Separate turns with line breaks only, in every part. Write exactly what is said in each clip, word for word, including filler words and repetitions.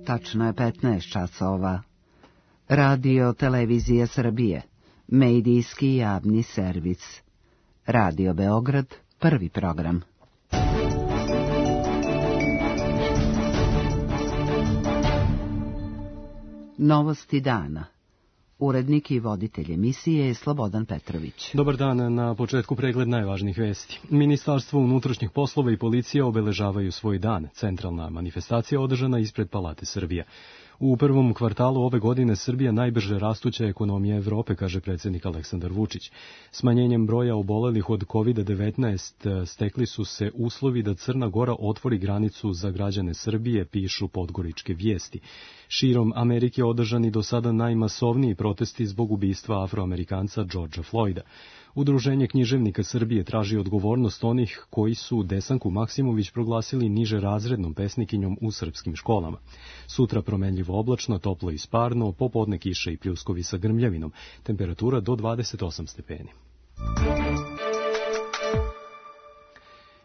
Tačno je petnaest časova. Radio Televizija Srbije, medijski javni servis. Radio Beograd, prvi program. Novosti dana. Urednik i voditelj emisije je Slobodan Petrović.
Dobar dan, na početku pregled najvažnijih vesti. Ministarstvo unutrašnjih poslova i policija obeležavaju svoj dan. Centralna manifestacija održana ispred Palate Srbije. U prvom kvartalu ove godine Srbija najbrže rastuća ekonomija Evrope, kaže predsjednik Aleksandar Vučić. Smanjenjem broja obolelih od kovid devetnaest stekli su se uslovi da Crna Gora otvori granicu za građane Srbije, pišu podgoričke vijesti. Širom Amerike održani do sada najmasovniji protesti zbog ubistva Afroamerikanca Georgea Floyda. Udruženje književnika Srbije traži odgovornost onih koji su Desanku Maksimović proglasili niže razrednom pesnikinjom u srpskim školama. Sutra promenljivo oblačno, toplo i sparno, popodne kiše i pljuskovi sa grmljavinom, temperatura do dvadeset osam stepeni.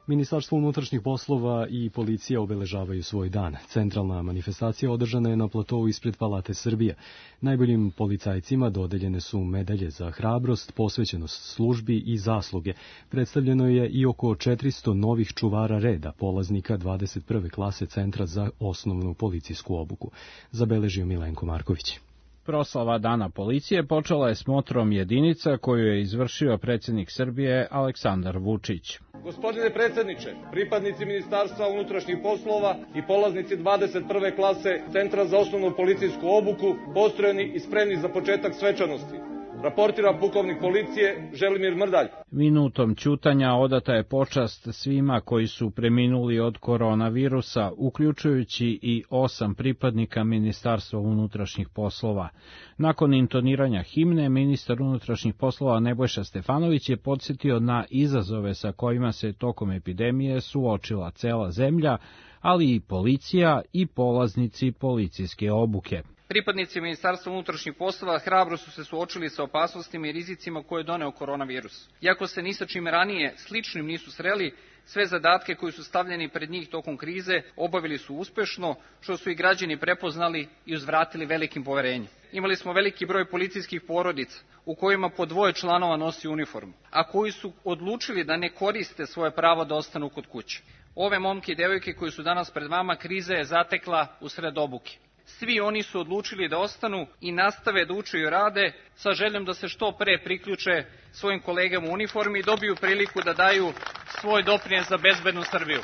Ministarstvo unutrašnjih poslova i policija obeležavaju svoj dan. Centralna manifestacija održana je na platovu ispred Palate Srbije. Najboljim policajcima dodeljene su medalje za hrabrost, posvećenost službi i zasluge. Predstavljeno je i oko četiristo novih čuvara reda, polaznika dvadeset prve klase Centra za osnovnu policijsku obuku. Zabeležio Milenko Marković.
Proslava Dana policije počela je smotrom jedinica koju je izvršio predsjednik Srbije Aleksandar Vučić.
Gospodine predsjedniče, pripadnici Ministarstva unutrašnjih poslova i polaznici dvadeset prve klase Centra za osnovnu policijsku obuku postrojeni i spremni za početak svečanosti. Raportira pukovnik policije Želimir Mrdalj.
Minutom ćutanja odata je počast svima koji su preminuli od koronavirusa, uključujući i osam pripadnika Ministarstva unutrašnjih poslova. Nakon intoniranja himne, ministar unutrašnjih poslova Nebojša Stefanović je podsjetio na izazove sa kojima se tokom epidemije suočila cela zemlja, ali i policija i polaznici policijske obuke.
Pripadnici Ministarstva unutrašnjih poslova hrabro su se suočili sa opasnostima i rizicima koje je doneo koronavirus. Iako se ni sa čim ranije sličnim nisu sreli, sve zadatke koji su stavljeni pred njih tokom krize obavili su uspešno, što su i građani prepoznali i uzvratili velikim poverenjem. Imali smo veliki broj policijskih porodica u kojima po dvoje članova nosi uniformu, a koji su odlučili da ne koriste svoje pravo da ostanu kod kuće. Ove momke i devojke koji su danas pred vama kriza je zatekla usred obuke. Svi oni su odlučili da ostanu i nastave da uče i rade sa željom da se što pre priključe svojim kolegama u uniformi i dobiju priliku da daju svoj doprinos za bezbednu Srbiju.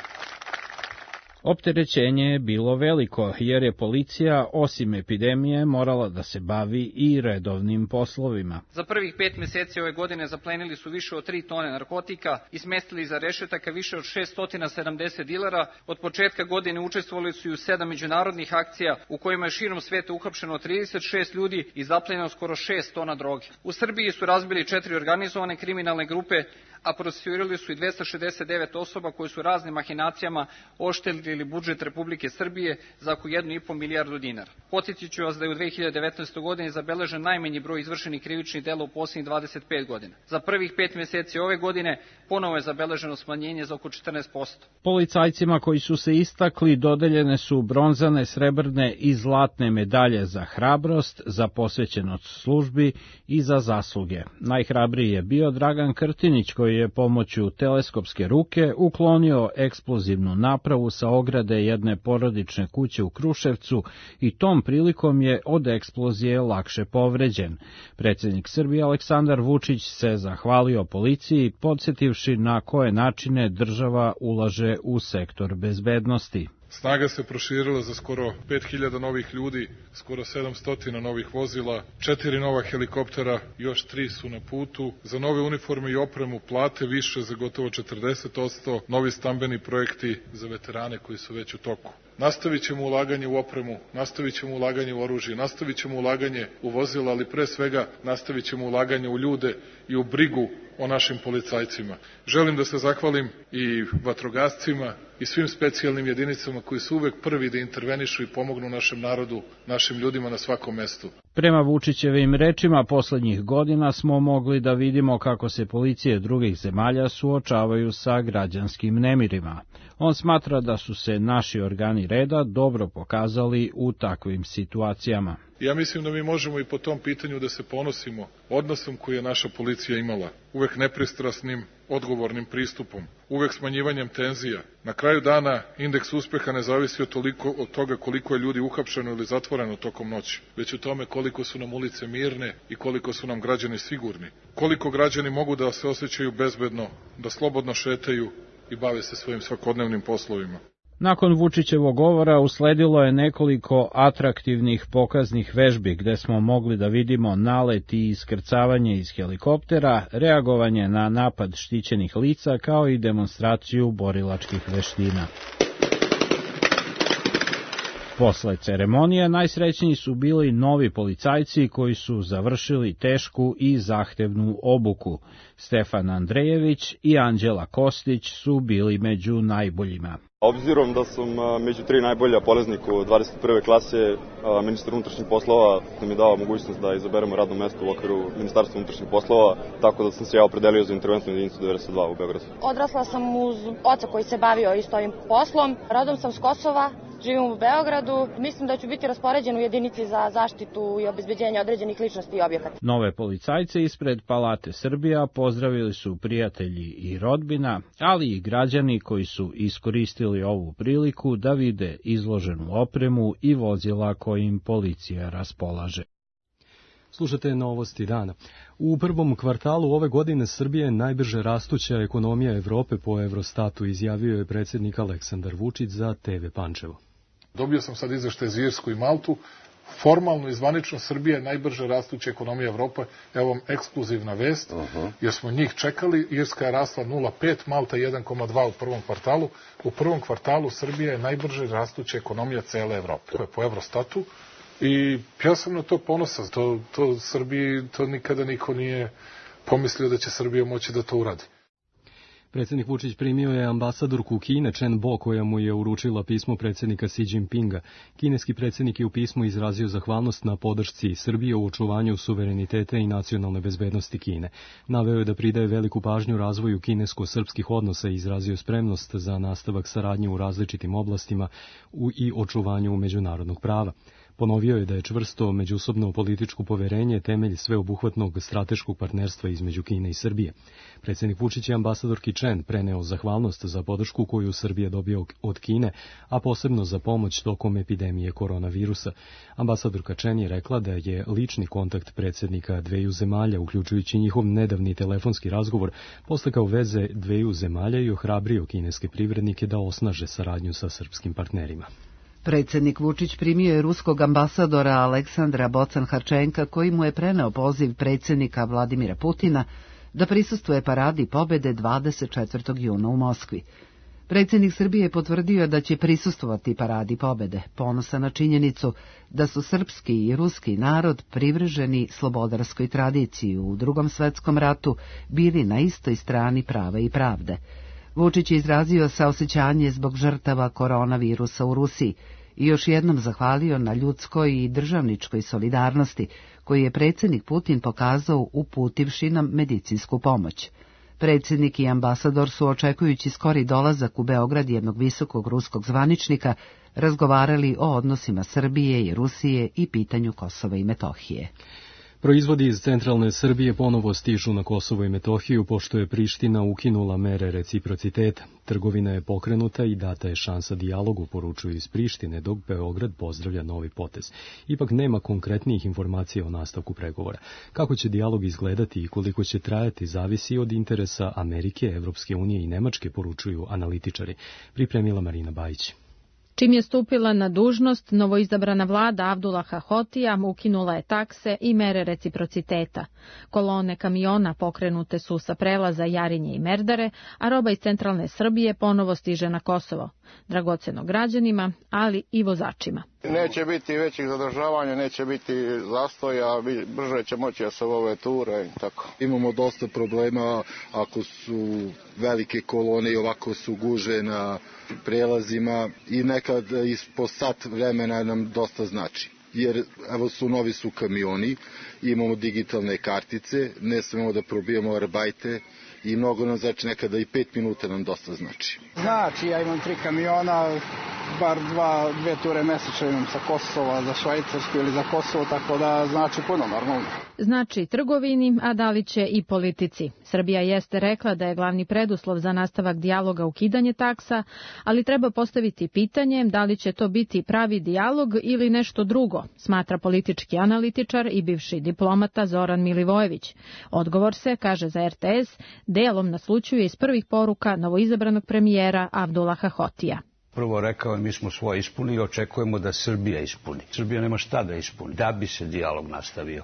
Opterećenje je bilo veliko, jer je policija, osim epidemije, morala da se bavi i redovnim poslovima.
Za prvih pet mjeseci ove godine zaplenili su više od tri tone narkotika i smestili iza rešetaka više od šeststo sedamdeset dilera. Od početka godine učestvovali su i u sedam međunarodnih akcija u kojima je širom sveta uhapšeno trideset šest ljudi i zaplenjeno skoro šest tona droge. U Srbiji su razbili četiri organizovane kriminalne grupe, a procesuirali su i dvesta šezdeset devet osoba koji su raznim mahinacijama oštetili budžet Republike Srbije za oko jednu i po milijardu dinara. Podsjetit ću vas da je u dve hiljade devetnaestoj. godini zabeležen najmanji broj izvršenih krivičnih dela u posljednjih dvadeset pet godina. Za prvih pet mjeseci ove godine ponovo je zabeleženo smanjenje za oko četrnaest posto.
Policajcima koji su se istakli dodeljene su bronzane, srebrne i zlatne medalje za hrabrost, za posvećenost službi i za zasluge. Najhrabriji je bio Dragan Krtinić, koji je pomoću teleskopske ruke uklonio eksplozivnu napravu sa ograde jedne porodične kuće u Kruševcu i tom prilikom je od eksplozije lakše povređen. Predsjednik Srbije Aleksandar Vučić se zahvalio policiji, podsjetivši na koje načine država ulaže u sektor bezbednosti.
Snaga se proširila za skoro pet hiljada novih ljudi, skoro sedamsto novih vozila, četiri nova helikoptera, još tri su na putu, za nove uniforme i opremu, plate više za gotovo četrdeset posto, novi stambeni projekti za veterane koji su već u toku. Nastavit ćemo ulaganje u opremu, nastavit ćemo ulaganje u oružje, nastavit ćemo ulaganje u vozila, ali pre svega nastavit ćemo ulaganje u ljude i u brigu o našim policajcima. Želim da se zahvalim i vatrogascima i svim specijalnim jedinicama koji su uvek prvi da intervenišu i pomognu našem narodu, našim ljudima na svakom mestu.
Prema Vučićevim rečima, poslednjih godina smo mogli da vidimo kako se policije drugih zemalja suočavaju sa građanskim nemirima. On smatra da su se naši organi reda dobro pokazali u takvim situacijama.
Ja mislim da mi možemo i po tom pitanju da se ponosimo odnosom koji je naša policija imala, uvek nepristrasnim, odgovornim pristupom, uvek smanjivanjem tenzija. Na kraju dana indeks uspeha ne zavisi od, toliko, od toga koliko je ljudi uhapšeno ili zatvoreno tokom noći, već u tome koliko su nam ulice mirne i koliko su nam građani sigurni, koliko građani mogu da se osjećaju bezbedno, da slobodno šetaju i bave se svojim svakodnevnim poslovima.
Nakon Vučićevog govora usledilo je nekoliko atraktivnih pokaznih vežbi gde smo mogli da vidimo nalet i iskrcavanje iz helikoptera, reagovanje na napad štićenih lica kao i demonstraciju borilačkih veština. Posle ceremonije najsrećniji su bili novi policajci koji su završili tešku i zahtevnu obuku. Stefan Andrejević i Anđela Kostić su bili među najboljima.
Obzirom da sam među tri najbolja polaznika dvadeset prve klase, ministar unutrašnjih poslova nam je dao mogućnost da izaberemo radno mesto u okviru Ministarstva unutrašnjih poslova, tako da sam se ja opredelio za interventnu jedinicu devedeset dva u Beogradu.
Odrasla sam uz oca koji se bavio isto ovim poslom. Rodom sam s Kosova, živim u Beogradu. Mislim da ću biti raspoređen u jedinici za zaštitu i obezbeđenje određenih ličnosti i objekata.
Nove policajce ispred Palate Srbija pozdravili su prijatelji i rodbina, ali i građani koji su iskoristili ovu priliku da vide izloženu opremu i vozila kojim policija raspolaže.
Slušate novosti dana. U prvom kvartalu ove godine Srbija je najbrže rastuća ekonomija Evrope po Eurostatu, izjavio je predsjednik Aleksandar Vučić za te ve Pančevo.
Dobio sam sad izveštaj za Irsku i Maltu. Formalno i zvanično Srbija je najbrže rastuća ekonomija Evrope. Evo vam ekskluzivna vest, uh-huh. jer smo njih čekali. Irska je rasla nula zarez pet, Malta jedan zarez dva u prvom kvartalu. U prvom kvartalu Srbija je najbrže rastuća ekonomija cele Evrope. To je po Eurostatu. I ja sam na to ponosan. To, to Srbiji, to nikada niko nije pomislio da će Srbija moći da to uradi.
Predsjednik Vučić primio je ambasadorku Kine Chen Bo, koja mu je uručila pismo predsjednika Xi Jinpinga. Kineski predsjednik je u pismu izrazio zahvalnost na podršci Srbije u očuvanju suvereniteta i nacionalne bezbednosti Kine. Naveo je da pridaje veliku pažnju razvoju kinesko-srpskih odnosa i izrazio spremnost za nastavak saradnje u različitim oblastima i očuvanju međunarodnog prava. Ponovio je da je čvrsto međusobno političko poverenje temelj sveobuhvatnog strateškog partnerstva između Kine i Srbije. Predsjednik Vučić je ambasadorki Chen preneo zahvalnost za podršku koju Srbija dobio od Kine, a posebno za pomoć tokom epidemije koronavirusa. Ambasadorka Chen je rekla da je lični kontakt predsjednika dveju zemalja, uključujući njihov nedavni telefonski razgovor, postakao veze dveju zemalja i ohrabrio kineske privrednike da osnaže saradnju sa srpskim partnerima.
Predsjednik Vučić primio je ruskog ambasadora Aleksandra Bocan-Harčenka, koji mu je preneo poziv predsjednika Vladimira Putina da prisustvuje paradi pobede dvadeset četvrtog juna u Moskvi. Predsjednik Srbije je potvrdio da će prisustvovati paradi pobede, ponosan na činjenicu da su srpski i ruski narod privrženi slobodarskoj tradiciji u Drugom svetskom ratu bili na istoj strani prava i pravde. Vučić je izrazio saosećanje zbog žrtava koronavirusa u Rusiji i još jednom zahvalio na ljudskoj i državničkoj solidarnosti koju je predsjednik Putin pokazao uputivši nam medicinsku pomoć. Predsjednik i ambasador su, očekujući skori dolazak u Beograd jednog visokog ruskog zvaničnika, razgovarali o odnosima Srbije i Rusije i pitanju Kosova i Metohije.
Proizvodi iz centralne Srbije ponovo stižu na Kosovo i Metohiju, pošto je Priština ukinula mere reciprociteta. Trgovina je pokrenuta i data je šansa dijalogu, poručuju iz Prištine, dok Beograd pozdravlja novi potez. Ipak nema konkretnijih informacija o nastavku pregovora. Kako će dijalog izgledati i koliko će trajati, zavisi od interesa Amerike, Evropske unije i Nemačke, poručuju analitičari. Pripremila Marina Bajić.
Čim je stupila na dužnost, novoizabrana vlada Abdullaha Hotija ukinula je takse i mere reciprociteta. Kolone kamiona pokrenute su sa prelaza Jarinje i Merdare, a roba iz centralne Srbije ponovo stiže na Kosovo. Dragoceno građanima, ali i vozačima.
Neće biti većih zadržavanja, neće biti zastoja, brže će moći da se ove ture i tako.
Imamo dosta problema ako su velike kolone i ovako su guže na prelazima i nekad ispod sat vremena nam dosta znači. jer evo su novi su kamioni, imamo digitalne kartice, ne smemo da probijemo arbajte i mnogo nam znači, nekada i pet minuta nam dosta znači.
Znači, ja imam tri kamiona, bar dva, dve ture mesečno imam sa Kosova za Švajcarsku ili za Kosovo, tako da znači puno normalno.
Znači trgovini, a da li će i politici. Srbija jeste rekla da je glavni preduslov za nastavak dijaloga ukidanje taksa, ali treba postaviti pitanje da li će to biti pravi dijalog ili nešto drugo, smatra politički analitičar i bivši diplomata Zoran Milivojević. Odgovor se, kaže za R T S, delom naslućuje iz prvih poruka novoizabranog premijera Avdulaha Hotija.
Prvo rekao je mi smo svoje ispunili i očekujemo da Srbija ispuni. Srbija nema šta da ispuni, da bi se dijalog nastavio.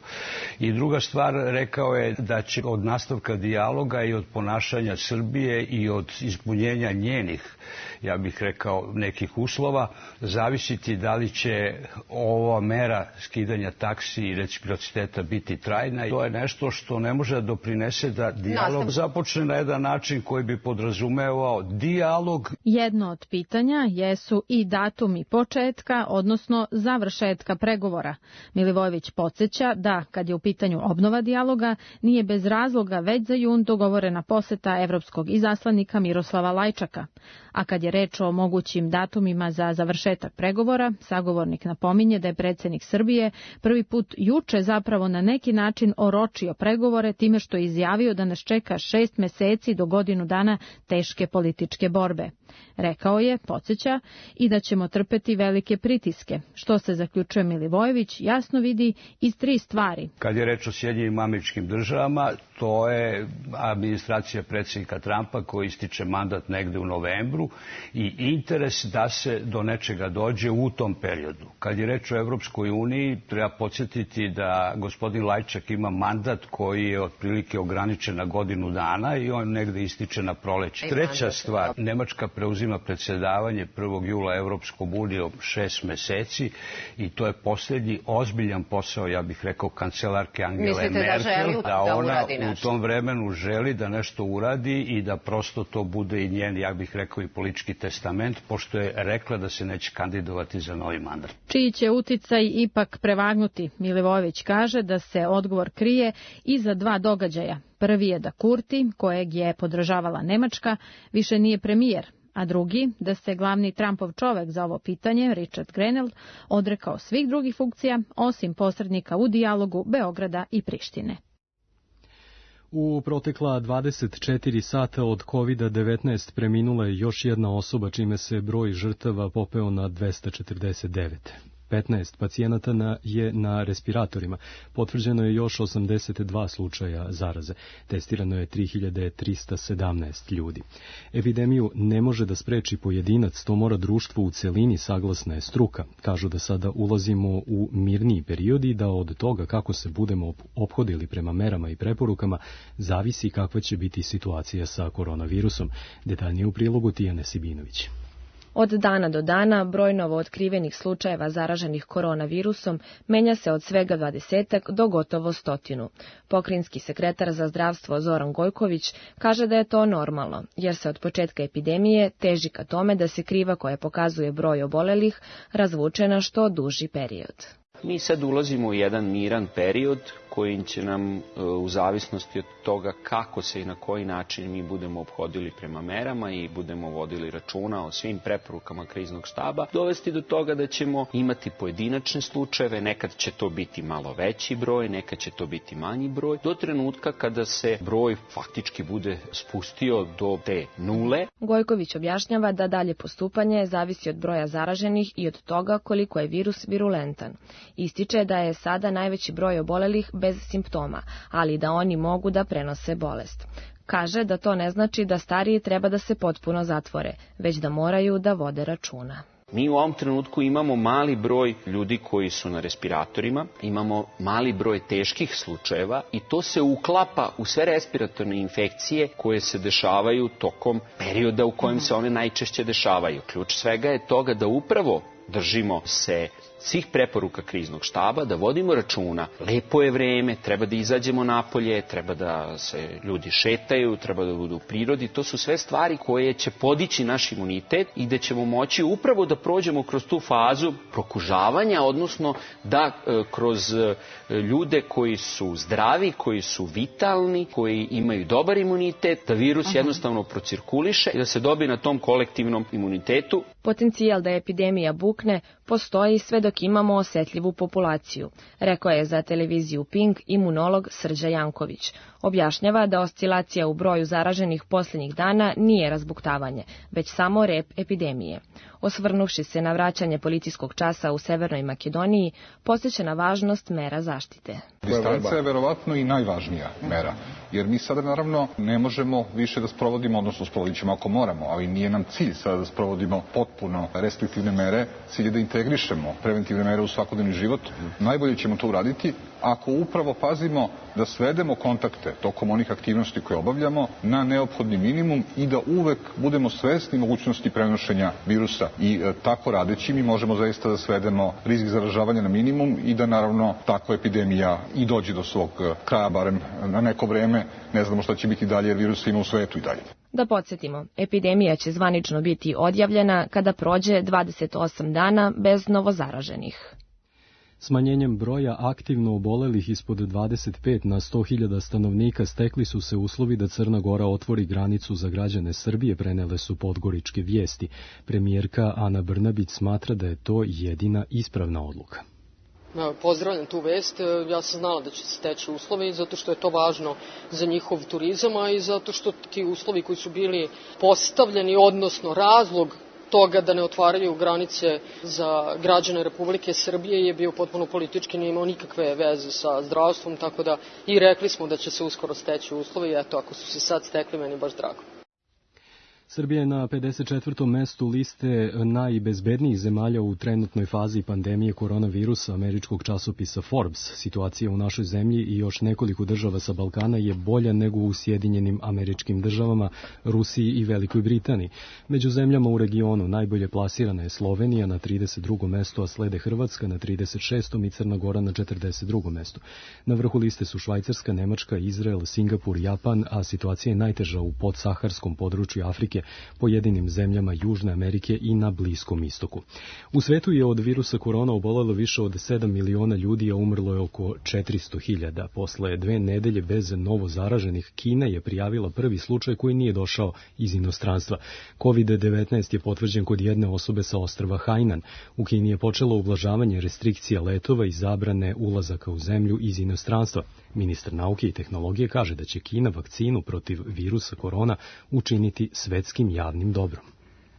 I druga stvar, rekao je da će od nastavka dijaloga i od ponašanja Srbije i od ispunjenja njenih, ja bih rekao, nekih uslova, zavisiti da li će ova mera skidanja taksi i reciprociteta biti trajna. I to je nešto što ne može da doprinese da dijalog započne na jedan način koji bi podrazumevao dijalog.
Jedno od pitanja jesu i datumi početka, odnosno završetka pregovora. Milivojević podsjeća da, kad je u pitanju obnova dijaloga, nije bez razloga već za jun dogovorena poseta evropskog izaslanika Miroslava Lajčaka. A kad je reč o mogućim datumima za završetak pregovora, sagovornik napominje da je predsjednik Srbije prvi put juče zapravo na neki način oročio pregovore time što je izjavio da nas čeka šest meseci do godinu dana teške političke borbe. Rekao je, podsjeća, i da ćemo trpeti velike pritiske, što se, zaključuje Milivojević, jasno vidi iz tri stvari.
Kad je reč o Sjedinjenim Američkim Državama, to je administracija predsjednika Trumpa koji ističe mandat negde u novembru i interes da se do nečega dođe u tom periodu. Kad je reč o Evropskoj uniji, treba podsjetiti da gospodin Lajčak ima mandat koji je otprilike ograničen na godinu dana i on negde ističe na proleće. Treća stvar, Nemačka preuzima predsjedavanje prvog jula Evropskom unijom šest meseci i to je posljednji ozbiljan posao, ja bih rekao, kancelarke Angele Merkel, da ona u tom vremenu želi da nešto uradi i da prosto to bude i njen, ja bih rekao, i politički testament, pošto je rekla da se neće kandidovati za novi mandat.
Čiji će uticaj ipak prevagnuti? Milivojević kaže da se odgovor krije iza dva događaja. Prvi je da Kurti, kojeg je podržavala Nemačka, više nije premijer, a drugi, da se glavni Trumpov čovek za ovo pitanje, Richard Grenell, odrekao svih drugih funkcija, osim posrednika u dijalogu Beograda i Prištine.
U protekla dvadeset četiri sata od kovid devetnaest preminula je još jedna osoba, čime se broj žrtava popeo na dvesta četrdeset devet. petnaest pacijenata na, je na respiratorima. Potvrđeno je još osamdeset dva slučaja zaraze. Testirano je tri hiljade trista sedamnaest ljudi. Epidemiju ne može da spreči pojedinac, to mora društvo u celini, saglasna je struka. Kažu da sada ulazimo u mirniji period i da od toga kako se budemo ophodili prema merama i preporukama zavisi kakva će biti situacija sa koronavirusom. Detaljnije u prilogu Tijane Sibinović.
Od dana do dana broj novootkrivenih slučajeva zaraženih koronavirusom menja se od svega dvadesetak do gotovo stotinu. Pokrajinski sekretar za zdravstvo Zoran Gojković kaže da je to normalno, jer se od početka epidemije teži ka tome da se kriva koja pokazuje broj obolelih razvuče na što duži period.
Mi sad ulazimo u jedan miran period koji će nam, u zavisnosti od toga kako se i na koji način mi budemo ophodili prema merama i budemo vodili računa o svim preporukama kriznog štaba, dovesti do toga da ćemo imati pojedinačne slučajeve, nekad će to biti malo veći broj, nekad će to biti manji broj, do trenutka kada se broj faktički bude spustio do te nule.
Gojković objašnjava da dalje postupanje zavisi od broja zaraženih i od toga koliko je virus virulentan. Ističe da je sada najveći broj obolelih bez simptoma, ali da oni mogu da prenose bolest. Kaže da to ne znači da stariji treba da se potpuno zatvore, već da moraju da vode računa.
Mi u ovom trenutku imamo mali broj ljudi koji su na respiratorima, imamo mali broj teških slučajeva i to se uklapa u sve respiratorne infekcije koje se dešavaju tokom perioda u kojem se one najčešće dešavaju. Ključ svega je toga da upravo držimo se svih preporuka kriznog štaba, da vodimo računa. Lepo je vreme, treba da izađemo napolje, treba da se ljudi šetaju, treba da budu u prirodi. To su sve stvari koje će podići naš imunitet i da ćemo moći upravo da prođemo kroz tu fazu prokužavanja, odnosno da e, kroz e, ljude koji su zdravi, koji su vitalni, koji imaju dobar imunitet, da virus Aha. jednostavno procirkuliše i da se dobije na tom kolektivnom imunitetu.
Potencijal da epidemija bukne postoji sve dok imamo osetljivu populaciju, rekao je za televiziju Pink imunolog Srđa Janković. Objašnjava da oscilacija u broju zaraženih posljednjih dana nije razbuktavanje, već samo rep epidemije. Osvrnuvši se na vraćanje policijskog časa u Severnoj Makedoniji, podsjeća na važnost mera zaštite.
Distanca je verovatno i najvažnija mera, jer mi sada naravno ne možemo više da sprovodimo, odnosno sprovodit ćemo ako moramo, ali nije nam cilj sada da sprovodimo potpuno restriktivne mere, cilj je da integrišemo preventivne mere u svakodnevni život. Najbolje ćemo to uraditi ako upravo pazimo da svedemo kontakte tokom onih aktivnosti koje obavljamo na neophodni minimum i da uvek budemo svesni mogućnosti prenošenja virusa. I e, tako radeći mi možemo zaista da svedemo rizik zaražavanja na minimum i da naravno takva epidemija i dođe do svog kraja, barem na neko vreme. Ne znamo šta će biti dalje jer virusa ima u svetu i dalje.
Da podsjetimo, epidemija će zvanično biti odjavljena kada prođe dvadeset osam dana bez novozaraženih.
Smanjenjem broja aktivno obolelih ispod dvadeset pet na sto hiljada stanovnika stekli su se uslovi da Crna Gora otvori granicu za građane Srbije, prenele su podgoričke vijesti. Premijerka Ana Brnabić smatra da je to jedina ispravna odluka.
Pozdravljam tu vest. Ja sam znala da će se steći uslovi zato što je to važno za njihov turizam, a i zato što ti uslovi koji su bili postavljeni, odnosno razlog toga da ne otvaraju granice za građane Republike Srbije je bio potpuno politički, nije imao nikakve veze sa zdravstvom, tako da i rekli smo da će se uskoro steći uslovi i eto, ako su se sad stekli, meni baš drago.
Srbija je na pedeset četvrtom mestu liste najbezbednijih zemalja u trenutnoj fazi pandemije koronavirusa američkog časopisa Forbes. Situacija u našoj zemlji i još nekoliko država sa Balkana je bolja nego u Sjedinjenim Američkim Državama, Rusiji i Velikoj Britaniji. Među zemljama u regionu najbolje plasirana je Slovenija na trideset drugom mestu, a slede Hrvatska na trideset šestom i Crna Gora na četrdeset drugom mestu. Na vrhu liste su Švajcarska, Nemačka, Izrael, Singapur, Japan, a situacija je najteža u podsaharskom području Afrike, pojedinim zemljama Južne Amerike i na Bliskom istoku. U svetu je od virusa korona obolelo više od sedam miliona ljudi, a umrlo je oko četiristo hiljada. Posle dve nedelje bez novo zaraženih, Kina je prijavila prvi slučaj koji nije došao iz inostranstva. kovid devetnaest je potvrđen kod jedne osobe sa ostrva Hainan. U Kini je počelo ublažavanje restrikcija letova i zabrane ulazaka u zemlju iz inostranstva. Ministar nauke i tehnologije kaže da će Kina vakcinu protiv virusa korona učiniti svetskim javnim dobrom.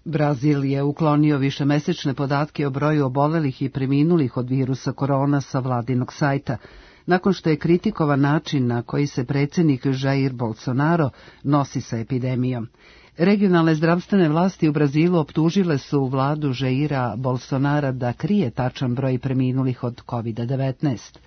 Brazil je uklonio višemesečne podatke o broju obolelih i preminulih od virusa korona sa vladinog sajta, nakon što je kritikovan način na koji se predsjednik Jair Bolsonaro nosi sa epidemijom. Regionalne zdravstvene vlasti u Brazilu optužile su vladu Jaira Bolsonara da krije tačan broj preminulih od kovid devetnaest.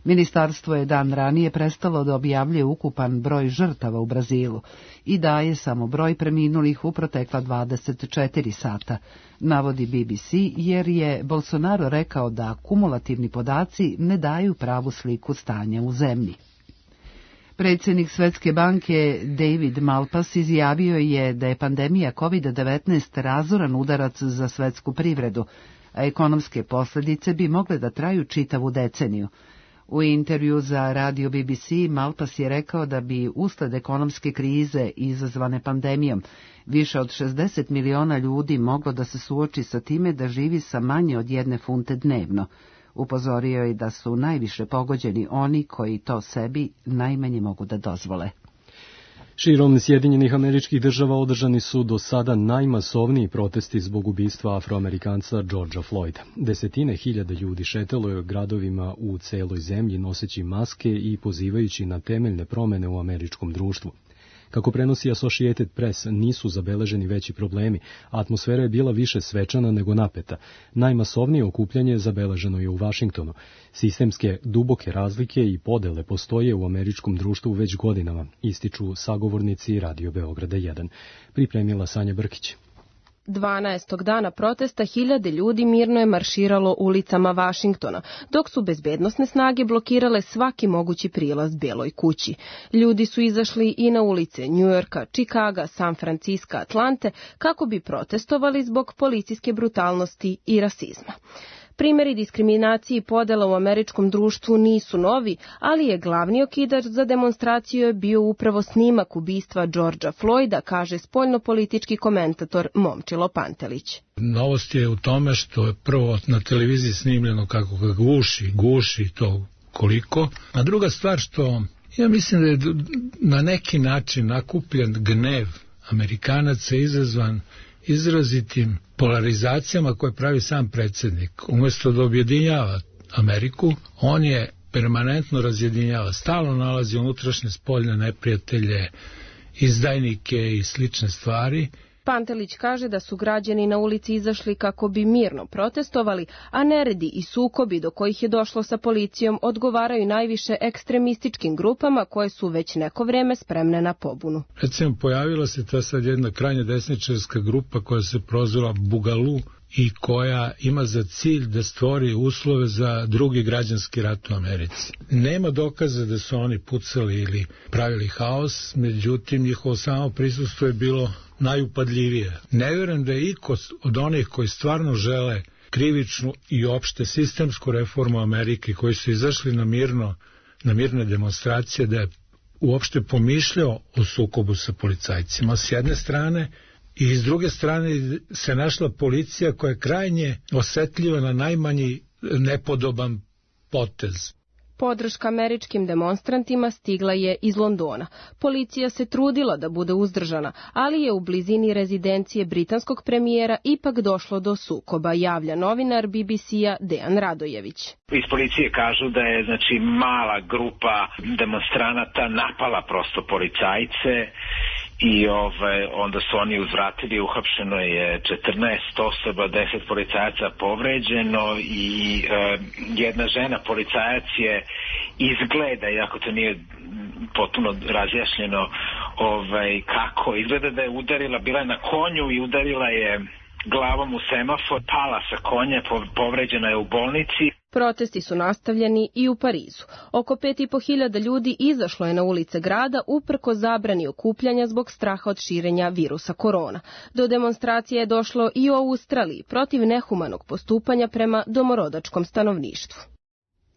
Ministarstvo je dan ranije prestalo da objavljuje ukupan broj žrtava u Brazilu i daje samo broj preminulih u protekla dvadeset četiri sata, navodi B B C, jer je Bolsonaro rekao da kumulativni podaci ne daju pravu sliku stanja u zemlji. Predsjednik Svetske banke David Malpass izjavio je da je pandemija kovid devetnaest razoran udarac za svetsku privredu, a ekonomske posljedice bi mogle da traju čitavu deceniju. U intervju za radio B B C Malpass je rekao da bi usled ekonomske krize izazvane pandemijom više od šezdeset miliona ljudi moglo da se suoči sa time da živi sa manje od jedne funte dnevno. Upozorio je da su najviše pogođeni oni koji to sebi najmanje mogu da dozvole.
Širom Sjedinjenih Američkih Država održani su do sada najmasovniji protesti zbog ubistva Afroamerikanca Georgea Floyda. Desetine hiljada ljudi šetalo je gradovima u celoj zemlji noseći maske i pozivajući na temeljne promene u američkom društvu. Kako prenosi Associated Press, nisu zabeleženi veći problemi, a atmosfera je bila više svečana nego napeta. Najmasovnije okupljanje zabeleženo je u Vašingtonu. Sistemske duboke razlike i podele postoje u američkom društvu već godinama, ističu sagovornici Radio Beograda jedan. Pripremila Sanja Brkić.
dvanaestog dana protesta hiljade ljudi mirno je marširalo ulicama Vašingtona, dok su bezbednosne snage blokirale svaki mogući prilaz Beloj kući. Ljudi su izašli i na ulice Njujorka, Čikaga, San Franciska, Atlante kako bi protestovali zbog policijske brutalnosti i rasizma. Primjeri diskriminacije i podela u američkom društvu nisu novi, ali je glavni okidač za demonstraciju je bio upravo snimak ubistva Georgea Floyda, kaže spoljnopolitički komentator Momčilo Pantelić.
Novost je u tome što je prvo na televiziji snimljeno kako ga guši, guši to koliko, a druga stvar što ja mislim da je na neki način nakupljen gnev Amerikanaca izazvan izrazitim polarizacijama koje pravi sam predsjednik. Umjesto da objedinjava Ameriku, on je permanentno razjedinjava, stalno nalazi unutrašnje spoljne neprijatelje, izdajnike i slične stvari.
Pantelić kaže da su građani na ulici izašli kako bi mirno protestovali, a neredi i sukobi do kojih je došlo sa policijom odgovaraju najviše ekstremističkim grupama koje su već neko vrijeme spremne na pobunu.
Recimo, pojavila se ta sad jedna krajnje desničarska grupa koja se prozvala Bugalu i koja ima za cilj da stvori uslove za drugi građanski rat u Americi. Nema dokaza da su oni pucali ili pravili haos, međutim njihovo samo prisustvo je bilo najupadljivije. Ne vjerujem da je iko od onih koji stvarno žele krivičnu i opšte sistemsku reformu Amerike, koji su izašli na mirno, na mirne demonstracije, da je uopšte pomišljao o sukobu sa policajcima s jedne strane, i s druge strane se našla policija koja je krajnje osetljiva na najmanji nepodoban potez.
Podrška američkim demonstrantima stigla je iz Londona. Policija se trudila da bude uzdržana, ali je u blizini rezidencije britanskog premijera ipak došlo do sukoba, javlja novinar B B C-a Dejan Radojević.
Iz policije kažu da je znači mala grupa demonstranata napala prosto policajce i ovaj, onda su oni uzvratili, uhapšeno je četrnaest osoba, deset policajaca povređeno i e, jedna žena policajac je izgleda, iako to nije potpuno razjašnjeno ovaj, kako, izgleda da je udarila, bila je na konju i udarila je glavom u semafor, pala sa konja, povređena je u bolnici.
Protesti su nastavljeni i u Parizu. Oko pet i po hiljada ljudi izašlo je na ulice grada uprko zabrani okupljanja zbog straha od širenja virusa korona. Do demonstracije je došlo i u Australiji protiv nehumanog postupanja prema domorodačkom stanovništvu.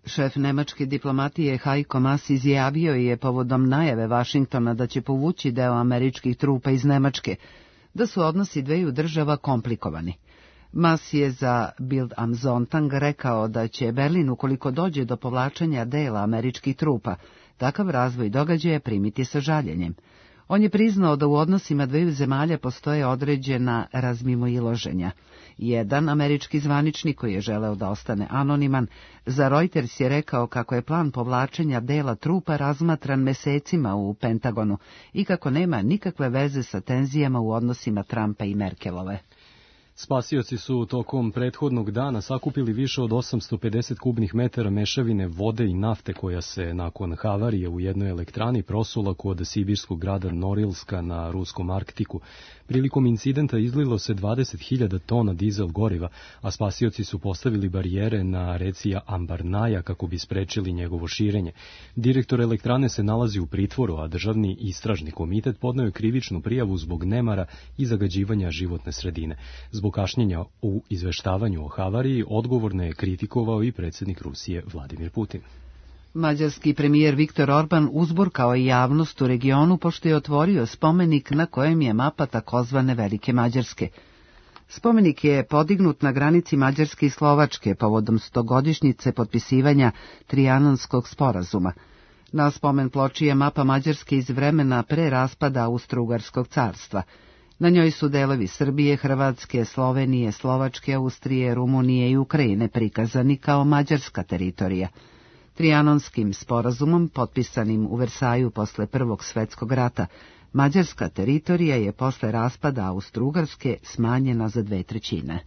Šef nemačke diplomatije Heiko Maas izjavio je povodom najave Vašingtona da će povući deo američkih trupa iz Nemačke, da su odnosi dveju država komplikovani. Maas je za Bild am Sonntag rekao da će Berlin, ukoliko dođe do povlačenja dela američkih trupa, takav razvoj događaja primiti sa žaljenjem. On je priznao da u odnosima dveju zemalja postoje određena razmimoilaženja. Jedan američki zvaničnik koji je želeo da ostane anoniman, za Reuters je rekao kako je plan povlačenja dela trupa razmatran mesecima u Pentagonu i kako nema nikakve veze sa tenzijama u odnosima Trumpa i Merkelove.
Spasioci su tokom prethodnog dana sakupili više od osamsto pedeset kubnih metara mešavine vode i nafte koja se nakon havarije u jednoj elektrani prosula kod sibirskog grada Norilska na ruskom Arktiku. Prilikom incidenta izlilo se dvadeset hiljada tona dizel goriva, a spasioci su postavili barijere na reci Ambarnaja kako bi sprečili njegovo širenje. Direktor elektrane se nalazi u pritvoru, a državni istražni komitet podneo je krivičnu prijavu zbog nemara i zagađivanja životne sredine. Zbog kašnjenja u izveštavanju o havariji odgovorno je kritikovao i predsjednik Rusije Vladimir Putin.
Mađarski premijer Viktor Orban uzburkao je javnost u regionu pošto je otvorio spomenik na kojem je mapa takozvane Velike Mađarske. Spomenik je podignut na granici Mađarske i Slovačke povodom stogodišnjice potpisivanja Trijanonskog sporazuma. Na spomen ploči je mapa Mađarske iz vremena pre raspada Austro-Ugarskog carstva. Na njoj su delovi Srbije, Hrvatske, Slovenije, Slovačke, Austrije, Rumunije i Ukrajine prikazani kao mađarska teritorija. Trijanonskim sporazumom, potpisanim u Versaju posle Prvog svjetskog rata, mađarska teritorija je posle raspada Austro-Ugarske smanjena za dve trećine.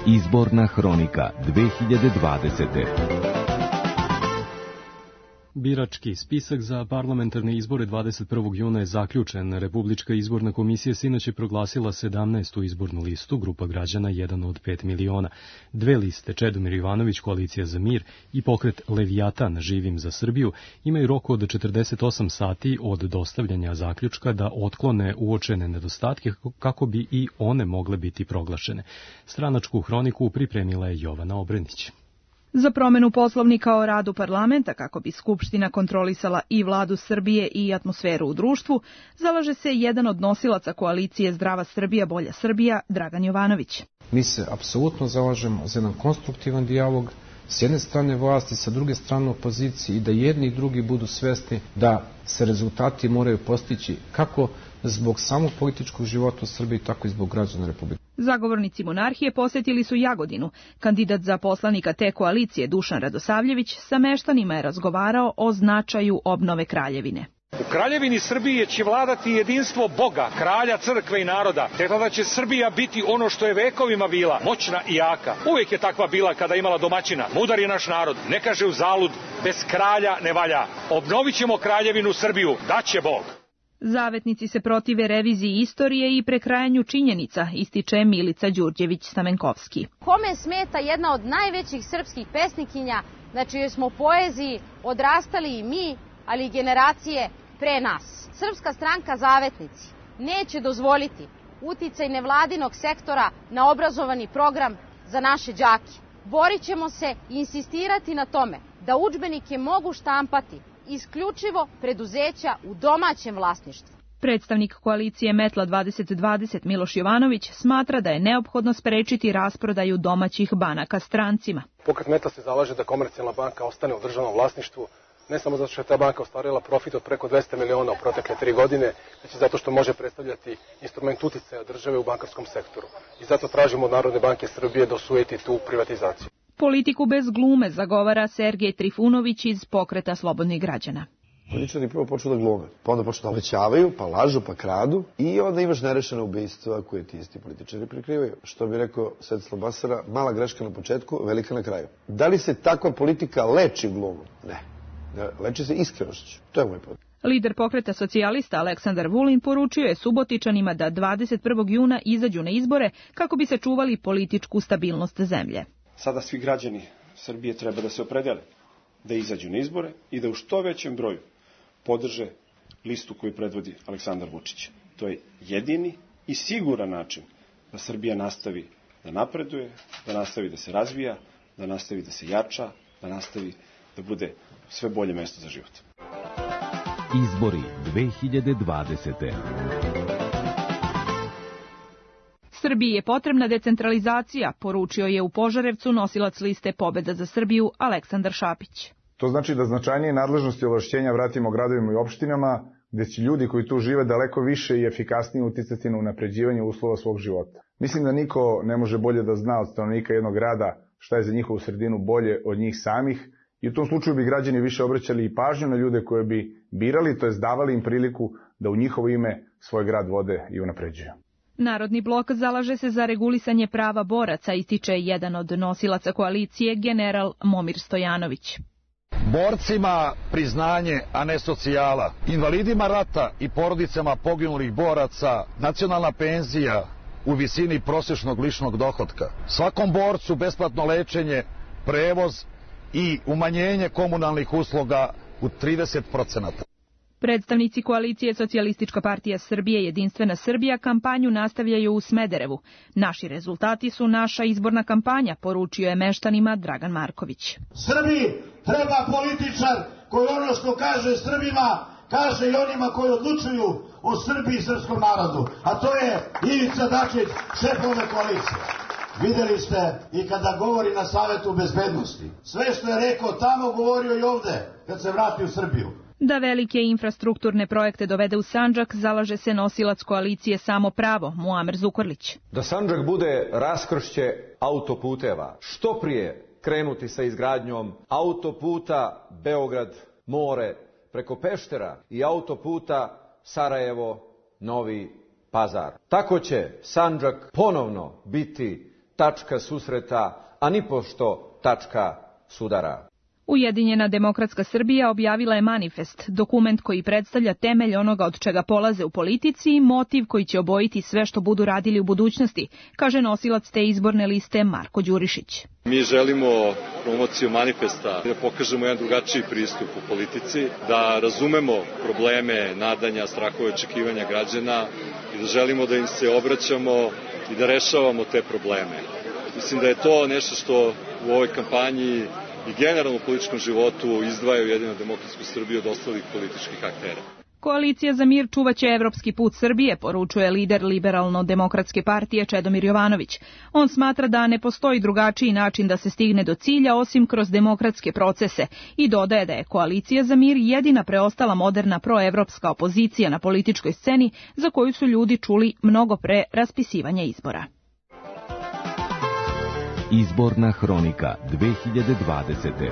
Izborna hronika dve hiljade dvadesete.
Birački spisak za parlamentarne izbore dvadeset prvog juna je zaključen. Republička izborna komisija sinoć je proglasila sedamnaestu izbornu listu, grupa građana jedan od pet miliona. Dve liste, Čedomir Jovanović, Koalicija za mir i pokret Levijatan, Živim za Srbiju, imaju rok od četrdeset osam sati od dostavljanja zaključka da otklone uočene nedostatke kako bi i one mogle biti proglašene. Stranačku hroniku pripremila je Jovana Obrenić.
Za promenu poslovnika o radu parlamenta kako bi Skupština kontrolisala i vladu Srbije i atmosferu u društvu, zalaže se jedan od nosilaca koalicije Zdrava Srbija, Bolja Srbija, Dragan Jovanović.
Mi se apsolutno zalažemo za jedan konstruktivan dijalog s jedne strane vlasti, sa druge strane opozicije i da jedni i drugi budu svesni da se rezultati moraju postići kako zbog samog političkog života u Srbiji, tako i zbog građana Republike.
Zagovornici monarhije posjetili su Jagodinu. Kandidat za poslanika te koalicije Dušan Radosavljević sa meštanima je razgovarao o značaju obnove kraljevine.
U kraljevini Srbije će vladati jedinstvo Boga, kralja, crkve i naroda, te tada će Srbija biti ono što je vekovima bila, moćna i jaka. Uvijek je takva bila kada je imala domaćina. Mudar je naš narod, ne kaže uzalud, bez kralja ne valja. Obnovit ćemo kraljevinu Srbiju, daće Bog.
Zavetnici se protive reviziji istorije i prekrajanju činjenica, ističe Milica Đurđević-Stamenkovski.
Kome smeta jedna od najvećih srpskih pesnikinja, na čijoj smo poeziji odrastali i mi, ali i generacije pre nas. Srpska stranka Zavetnici neće dozvoliti uticaj nevladinog sektora na obrazovani program za naše đake. Borit ćemo se i insistirati na tome da udžbenike mogu štampati isključivo preduzeća u domaćem vlasništvu.
Predstavnik koalicije Metla dvadeset dvadeset Miloš Jovanović smatra da je neophodno sprečiti rasprodaju domaćih banaka strancima.
Pokret Metla se zalaže da Komercijalna banka ostane u državnom vlasništvu, ne samo zato što je ta banka ostvarila profit od preko dvesta miliona u protekle tri godine, već i zato što može predstavljati instrument uticaja države u bankarskom sektoru. I zato tražimo od Narodne banke Srbije da osujeti tu privatizaciju.
Politiku bez glume zagovara Sergej Trifunović iz Pokreta slobodnih građana.
Političari prvo počnu da glume, pa onda počnu da obećavaju, pa lažu, pa kradu i onda imaš nerešene ubistva koje ti isti političari prikrivaju. Što bi rekao Svetislav Basara, mala greška na početku, velika na kraju. Da li se takva politika leči glumom? Ne. Leči se iskrenošću. To je moj problem.
Lider Pokreta socijalista Aleksandar Vulin poručio je Subotičanima da dvadeset prvog juna izađu na izbore kako bi sačuvali političku stabilnost zemlje.
Sada svi građani Srbije treba da se opredele, da izađu na izbore i da u što većem broju podrže listu koju predvodi Aleksandar Vučić. To je jedini i siguran način da Srbija nastavi da napreduje, da nastavi da se razvija, da nastavi da se jača, da nastavi da bude sve bolje mesto za život.
Izbori dve hiljade dvadesete.
Srbiji je potrebna decentralizacija, poručio je u Požarevcu nosilac liste Pobeda za Srbiju Aleksandar Šapić.
To znači da značajnije nadležnosti i ovlašćenja vratimo gradovima i opštinama, gde će ljudi koji tu žive daleko više i efikasnije uticati na unapređivanje uslova svog života. Mislim da niko ne može bolje da zna od stanovnika jednog grada šta je za njihovu sredinu bolje od njih samih, i u tom slučaju bi građani više obraćali i pažnju na ljude koje bi birali, to jest davali im priliku da u njihovo ime svoj grad vode i unapređuju.
Narodni blok zalaže se za regulisanje prava boraca, ističe jedan od nosilaca koalicije, general Momir Stojanović.
Borcima priznanje, a ne socijala. Invalidima rata i porodicama poginulih boraca nacionalna penzija u visini prosječnog ličnog dohotka. Svakom borcu besplatno lečenje, prevoz i umanjenje komunalnih usluga u trideset procenata.
Predstavnici koalicije Socijalistička partija Srbije Jedinstvena Srbija kampanju nastavljaju u Smederevu. Naši rezultati su naša izborna kampanja, poručio je meštanima Dragan Marković.
Srbiji treba političar koji ono što kaže Srbima, kaže i onima koji odlučuju o Srbiji i srpskom narodu. A to je Ivica Dačić, šef ove koalicije. Videli ste i kada govori na Savetu bezbednosti. Sve što je rekao tamo govorio i ovde kad se vrati u Srbiju.
Da velike infrastrukturne projekte dovede u Sandžak, zalaže se nosilac koalicije Samo pravo, Muamer Zukorlić.
Da Sandžak bude raskršće autoputeva. Što prije krenuti sa izgradnjom autoputa Beograd-More preko Peštera i autoputa Sarajevo-Novi Pazar. Tako će Sandžak ponovno biti tačka susreta, a nipošto tačka sudara.
Ujedinjena demokratska Srbija objavila je manifest, dokument koji predstavlja temelj onoga od čega polaze u politici i motiv koji će obojiti sve što budu radili u budućnosti, kaže nosilac te izborne liste Marko Đurišić.
Mi želimo promociju manifesta da pokažemo jedan drugačiji pristup u politici, da razumemo probleme, nadanja, strahove, očekivanja građana i da želimo da im se obraćamo i da rešavamo te probleme. Mislim da je to nešto što u ovoj kampanji i generalno u političkom životu izdvajaju Ujedinjenu demokratsku Srbiju od ostalih političkih aktera.
Koalicija za mir čuvaće evropski put Srbije, poručuje lider Liberalno-demokratske partije Čedomir Jovanović. On smatra da ne postoji drugačiji način da se stigne do cilja osim kroz demokratske procese i dodaje da je Koalicija za mir jedina preostala moderna proevropska opozicija na političkoj sceni za koju su ljudi čuli mnogo pre raspisivanja izbora.
Izborna hronika dve hiljade dvadesete.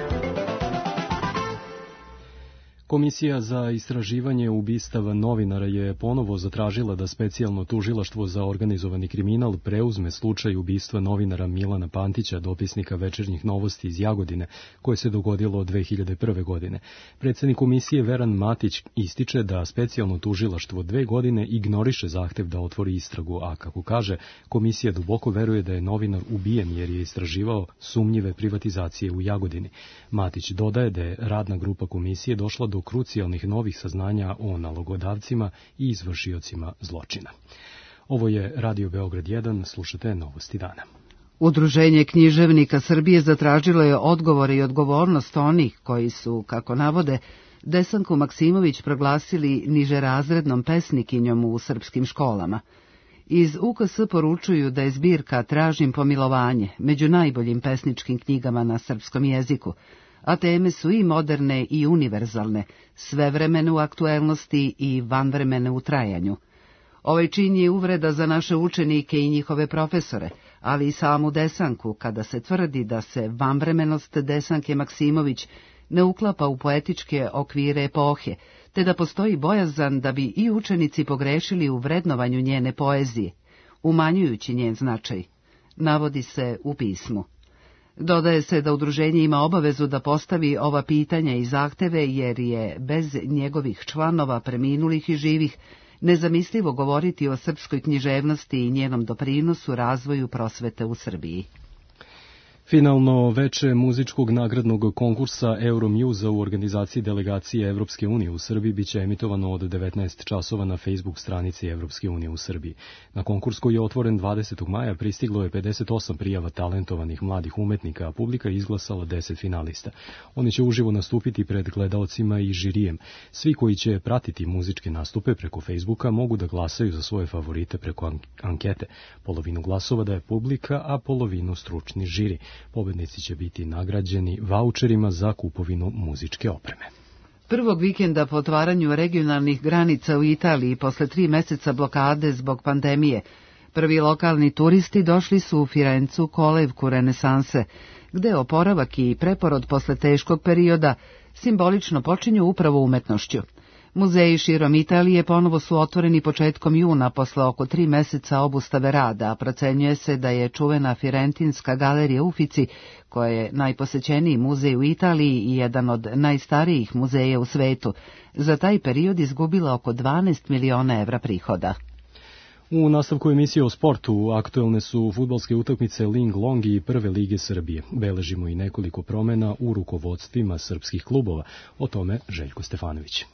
Komisija za istraživanje ubistava novinara je ponovo zatražila da specijalno tužilaštvo za organizovani kriminal preuzme slučaj ubistva novinara Milana Pantića, dopisnika Večernjih novosti iz Jagodine, koje se dogodilo dve hiljade prve. godine. Predsednik komisije Veran Matić ističe da specijalno tužilaštvo dve godine ignoriše zahtev da otvori istragu, a kako kaže, komisija duboko veruje da je novinar ubijen jer je istraživao sumnjive privatizacije u Jagodini. Matić dodaje da je radna grupa komisije došla do krucijalnih novih saznanja o nalogodavcima i izvršiocima zločina. Ovo je Radio Beograd jedan, slušate Novosti dana.
Udruženje književnika Srbije zatražilo je odgovore i odgovornost onih koji su, kako navode, Desanku Maksimović proglasili nižerazrednom pesnikinjom u srpskim školama. Iz U K S poručuju da je zbirka Tražim pomilovanje među najboljim pesničkim knjigama na srpskom jeziku, a teme su i moderne i univerzalne, svevremene u aktuelnosti i vanvremene u trajanju. Ovaj čin je uvreda za naše učenike i njihove profesore, ali i samu Desanku, kada se tvrdi da se vanvremenost Desanke Maksimović ne uklapa u poetičke okvire epohe, te da postoji bojazan da bi i učenici pogrešili u vrednovanju njene poezije, umanjujući njen značaj, navodi se u pismu. Dodaje se da udruženje ima obavezu da postavi ova pitanja i zahteve jer je bez njegovih članova preminulih i živih nezamislivo govoriti o srpskoj književnosti i njenom doprinosu razvoju prosvete u Srbiji.
Finalno veče muzičkog nagradnog konkursa Euromuza u organizaciji delegacije Evropske unije u Srbiji biće emitovano od devetnaest časova na Facebook stranici Evropske unije u Srbiji. Na konkurs koji je otvoren dvadesetog maja pristiglo je pedeset osam prijava talentovanih mladih umetnika, a publika je izglasala deset finalista. Oni će uživo nastupiti pred gledaocima i žirijem. Svi koji će pratiti muzičke nastupe preko Facebooka mogu da glasaju za svoje favorite preko ankete. Polovinu glasova daje publika, a polovinu stručni žiri. Pobednici će biti nagrađeni vaučerima za kupovinu muzičke opreme.
Prvog vikenda po otvaranju regionalnih granica u Italiji posle tri meseca blokade zbog pandemije, prvi lokalni turisti došli su u Firencu, kolevku renesanse, gde oporavak i preporod posle teškog perioda simbolično počinju upravo umetnošću. Muzeji širom Italije ponovo su otvoreni početkom juna posle oko tri meseca obustave rada, a procenjuje se da je čuvena Firentinska galerija Uffizi, koja je najposećeniji muzej u Italiji i jedan od najstarijih muzeja u svetu, za taj period izgubila oko dvanaest miliona evra prihoda.
U nastavku emisije o sportu aktuelne su fudbalske utakmice Ling Long i Prve lige Srbije. Beležimo i nekoliko promena u rukovodstvima srpskih klubova. O tome Željko Stefanović.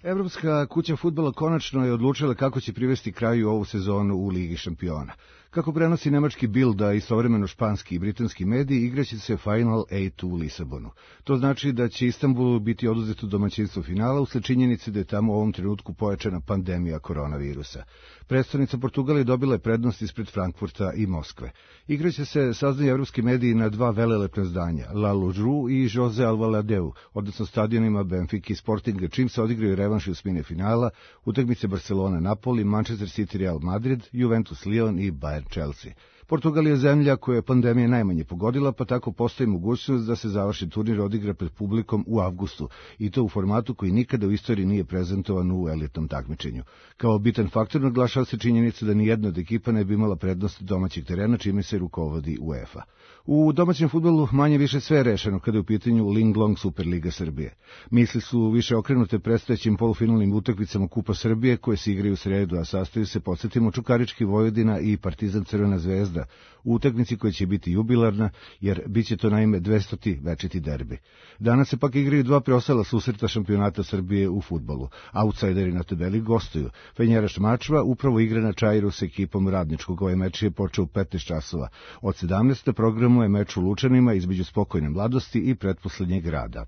Evropska kuća fudbala konačno je odlučila kako će privesti kraju ovu sezonu u Ligi šampiona. Kako prenosi nemački Bild, a istovremeno španski i britanski mediji, igraće se Final osam u Lisabonu. To znači da će Istanbulu biti oduzeto domaćinstvo finala usled činjenice da je tamo u ovom trenutku pojačana pandemija koronavirusa. Predstavnica Portugala je dobila prednost ispred Frankfurta i Moskve. Igraće se, saznaju evropski mediji, na dva velelepna zdanja, La Ložru i Jose Alvaladeu, odnosno stadionima Benfica i Sportinga, čim se odigraju revanši osmine finala, utakmice Barcelona-Napoli, Manchester City-Real Madrid, Juventus-Lyon i Bayern Chelsea. Portugal je zemlja koja je pandemija najmanje pogodila, pa tako postoji mogućnost da se završi turnir odigra pred publikom u avgustu, i to u formatu koji nikada u istoriji nije prezentovan u elitnom takmičenju. Kao bitan faktor naglašava se činjenica da nijedna od ekipa ne bi imala prednost domaćeg terena, čime se rukovodi UEFA. U domaćem fudbalu manje više sve je rešeno kada je u pitanju Linglong Superliga Srbije. Misli su više okrenute predstojećim polufinalnim utakmicama Kupa Srbije koje se igraju u sredu, a sastaju se, podsjetimo, Čukarički Vojvodina i Partizan Crvena zvezda, u utakmici koja će biti jubilarna, jer bit će to naime dvestoti večiti derbi. Danas se pak igraju dva preostala susreta šampionata Srbije u fudbalu. Outsideri na tabeli gostuju. Fenjeraš Mačva upravo igra na Čairu s ekipom Radničkog. Ovaj meč je počeo u petnaest časova. Od sedamnaest programu je meč u Lučanima između Spokojne mladosti i pretposlednjeg Rada.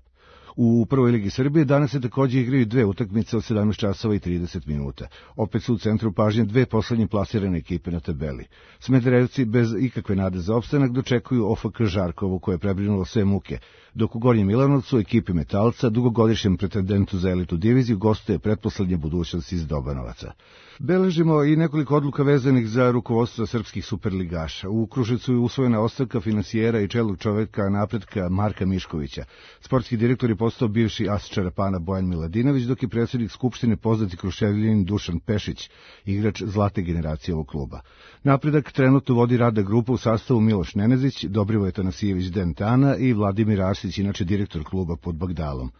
U prvoj ligi Srbije danas se također igraju dve utakmice od sedamnaest časova i trideset minuta. Opet su u centru pažnje dve poslednje plasirane ekipe na tabeli. Smederevci bez ikakve nade za opstanak dočekuju O F K Žarkovu, koje je prebrinulo sve muke, dok u Gornjem Milanovcu ekipi Metalca, dugogodišnjem pretendentu za elitu diviziju, gostuje pretposlednja budućnost iz Dobanovaca. Beležimo i nekoliko odluka vezanih za rukovodstvo srpskih superligaša. U Kruševcu je usvojena ostavka finansijera i čelnog čoveka napretka Marka Miškovića. Sportski direktor je postao bivši as Čarapana Bojan Miladinović, dok je predsjednik Skupštine poznati Kruševljanin Dušan Pešić, igrač zlate generacije ovog kluba. Napredak trenutno vodi Rada grupa u sastavu Miloš Nenezić, Dobrivoje Tanasijević Dentana i Vladimir Arsić, inače direktor kluba pod Bagdalom.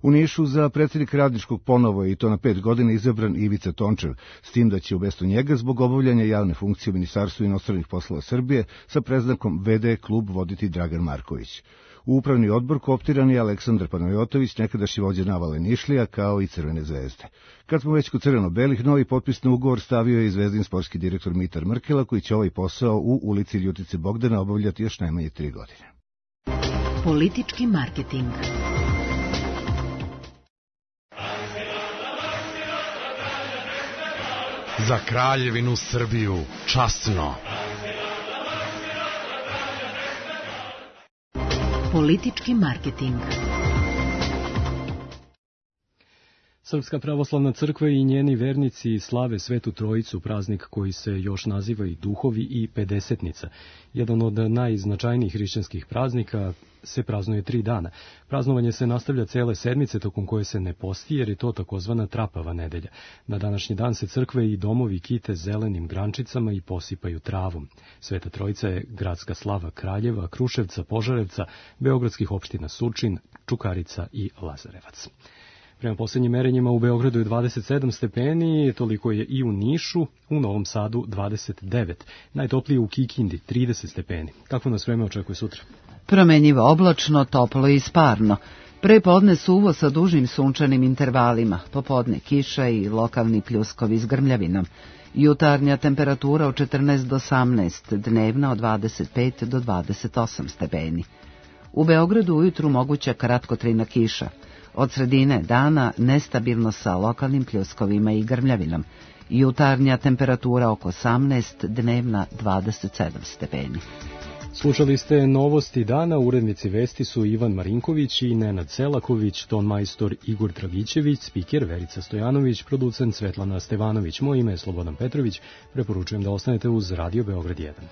U Nišu za predsjednik Radničkog ponovo je i to na pet godina izabran Ivica Tončev, s tim da će umjesto njega zbog obavljanja javne funkcije u Ministarstvu inostranih poslova Srbije sa preznakom ve de klub voditi Dragan Marković. U upravni odbor kooptiran je Aleksandar Panajotović, nekadašnji vođa Navale Nišlija, kao i Crvene zvezde. Kad smo već kod crveno-belih, novi potpisni ugovor stavio je i Zvezdin sportski direktor Mitar Mrkela, koji će ovaj posao u ulici Ljutice Bogdana obavljati još najmanje tri godine.
Politički marketing.
Za Kraljevinu Srbiju, časno.
Politički marketing.
Srpska pravoslavna crkva i njeni vernici slave Svetu Trojicu, praznik koji se još naziva i Duhovi i Pedesetnica. Jedan od najznačajnijih hrišćanskih praznika se praznuje tri dana. Praznovanje se nastavlja cele sedmice, tokom koje se ne posti, jer je to takozvana trapava nedelja. Na današnji dan se crkve i domovi kite zelenim grančicama i posipaju travom. Sveta Trojica je gradska slava Kraljeva, Kruševca, Požarevca, beogradskih opština Surčin, Čukarica i Lazarevac. Prema posljednjim merenjima u Beogradu je dvadeset sedam stepeni, toliko je i u Nišu, u Novom Sadu dvadeset devet, najtoplije u Kikindi trideset stepeni. Kako nas vreme očekuje sutra?
Promenjivo oblačno, toplo i sparno. Prepodne suvo sa dužim sunčanim intervalima, popodne kiša i lokalni pljuskovi s grmljavinom. Jutarnja temperatura od četrnaest do osamnaest, dnevna od dvadeset pet do dvadeset osam stepeni. U Beogradu ujutru moguća kratkotrajna kiša. Od sredine dana nestabilno sa lokalnim pljuskovima i grmljavinom. Jutarnja temperatura oko osamnaest, dnevna dvadeset sedam stepeni.
Slušali ste novosti dana, urednici vesti su Ivan Marinković i Nenad Selaković, ton majstor Igor Dragićević, spiker Verica Stojanović, producent Svetlana Stevanović. Moje ime je Slobodan Petrović, preporučujem da ostanete uz Radio Beograd jedan.